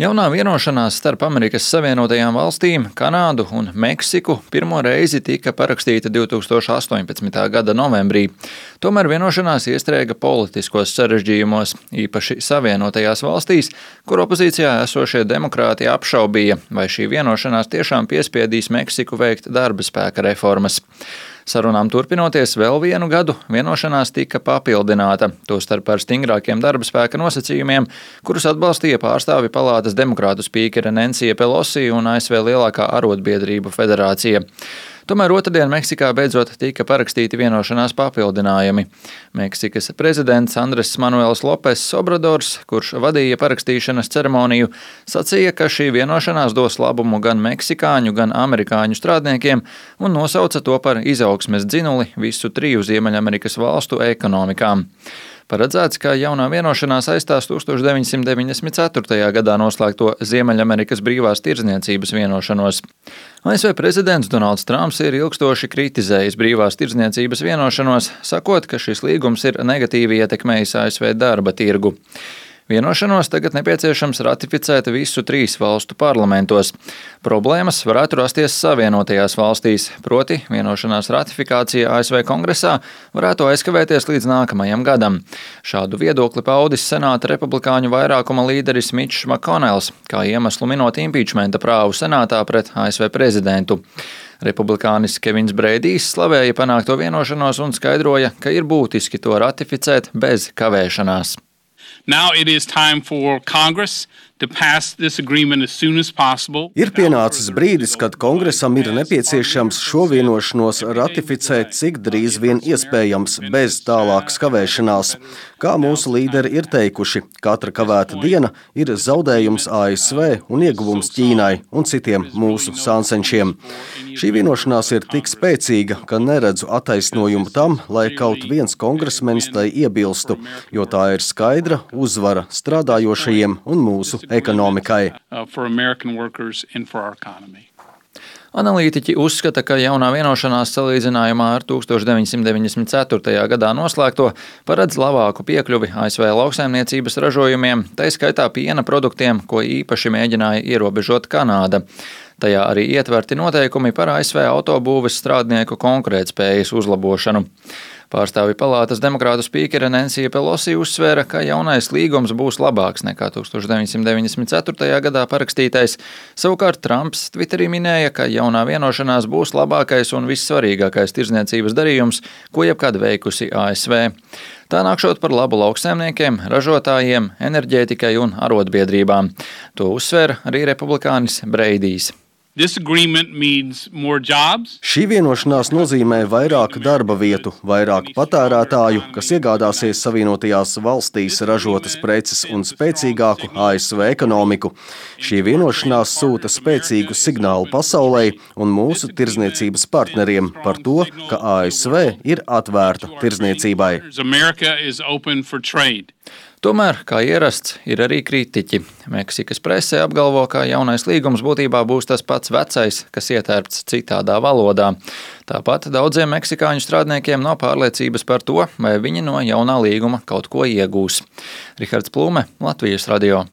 Jaunā vienošanās starp Amerikas Savienotajām valstīm, Kanādu un Meksiku pirmo reizi tika parakstīta 2018. gada novembrī. Tomēr vienošanās iestrēga politiskos sarežģījumos, īpaši Savienotajās valstīs, kur opozīcijā esošie demokrāti apšaubīja, vai šī vienošanās tiešām piespiedīs Meksiku veikt darba spēka reformas. Sarunām turpinoties vēl vienu gadu, vienošanās tika papildināta, tostarp ar stingrākiem darba spēka nosacījumiem, kurus atbalstīja pārstāvju palātas demokrātu spīkere Nensija Pelosi un ASV lielākā arotbiedrību federācija. Tomēr otrdien Meksikā beidzot tika parakstīti vienošanās papildinājumi. Meksikas prezidents Andres Manuels Lopes Obradors, kurš vadīja parakstīšanas ceremoniju, sacīja, ka šī vienošanās dos labumu gan meksikāņu, gan amerikāņu strādniekiem un nosauca to par izaugsmes dzinuli visu triju Ziemeļamerikas valstu ekonomikām. Paredzēts, ka jaunā vienošanās aizstās 1994. gadā noslēgto Ziemeļamerikas brīvās tirdzniecības vienošanos. ASV prezidents Donalds Trumps ir ilgstoši kritizējis brīvās tirdzniecības vienošanos, sakot, ka šis līgums ir negatīvi ietekmējis ASV darba tirgu. Vienošanos tagad nepieciešams ratificēt visu trīs valstu parlamentos. Problēmas varētu rasties Savienotajās valstīs, proti vienošanās ratifikācija ASV kongresā varētu aizkavēties līdz nākamajam gadam. Šādu viedokli paudis Senāta republikāņu vairākuma līderis Mitčs Makonels, kā iemeslu minot impīčmenta prāvu Senātā pret ASV prezidentu. Republikānis Kevins Breidijs slavēja panākto vienošanos un skaidroja, ka ir būtiski to ratificēt bez kavēšanās. Now it is time for Congress to pass this agreement as soon as possible. Ir pienācis brīdis, kad Kongresam ir nepieciešams šo vienošanos ratificēt cik drīz vien iespējams, bez tālākas kavēšanās. Kā mūsu līderi ir teikuši, katra kavēta diena ir zaudējums ASV un ieguvums Ķīnai un citiem mūsu sāncenšiem. Šī vienošanās ir tik spēcīga, ka neredzu attaisnojumu tam, lai kaut viens kongresmenis tai iebilstu, jo tā ir skaidra uzvara strādājošajiem un mūsu ekonomikai. Analītiķi uzskata, ka jaunā vienošanās salīdzinājumā ar 1994. gadā noslēgto paredz labāku piekļuvi ASV lauksaimniecības ražojumiem, tai skaitā piena produktiem, ko īpaši mēģināja ierobežot Kanāda. Tajā arī ietverti noteikumi par ASV autobūves strādnieku konkurētspējas uzlabošanu. Pārstāvju palātas demokrātu spīkere Nensija Pelosi uzsvēra, ka jaunais līgums būs labāks nekā 1994. gadā parakstītais. Savukārt Trumps Twitterī minēja, ka jaunā vienošanās būs labākais un vissvarīgākais tirdzniecības darījums, ko jebkad veikusi ASV. Tā nākšot par labu lauksaimniekiem, ražotājiem, enerģētikai un arotbiedrībām. To uzsvēra arī republikānis Breidijs. Šī vienošanās nozīmē vairāk darba vietu, vairāk patērētāju, kas iegādāsies Savienotajās valstīs ražotas preces un spēcīgāku ASV ekonomiku. Šī vienošanās sūta spēcīgu signālu pasaulei un mūsu tirdzniecības partneriem par to, ka ASV ir atvērta tirdzniecībai. Tomēr, kā ierasts, ir arī kritiķi. Meksikas presē apgalvo, ka jaunais līgums būtībā būs tas pats vecais, kas ietērpts citādā valodā. Tāpat daudziem meksikāņu strādniekiem nav pārliecības par to, vai viņi no jaunā līguma kaut ko iegūs. Rihards Plūme, Latvijas radio.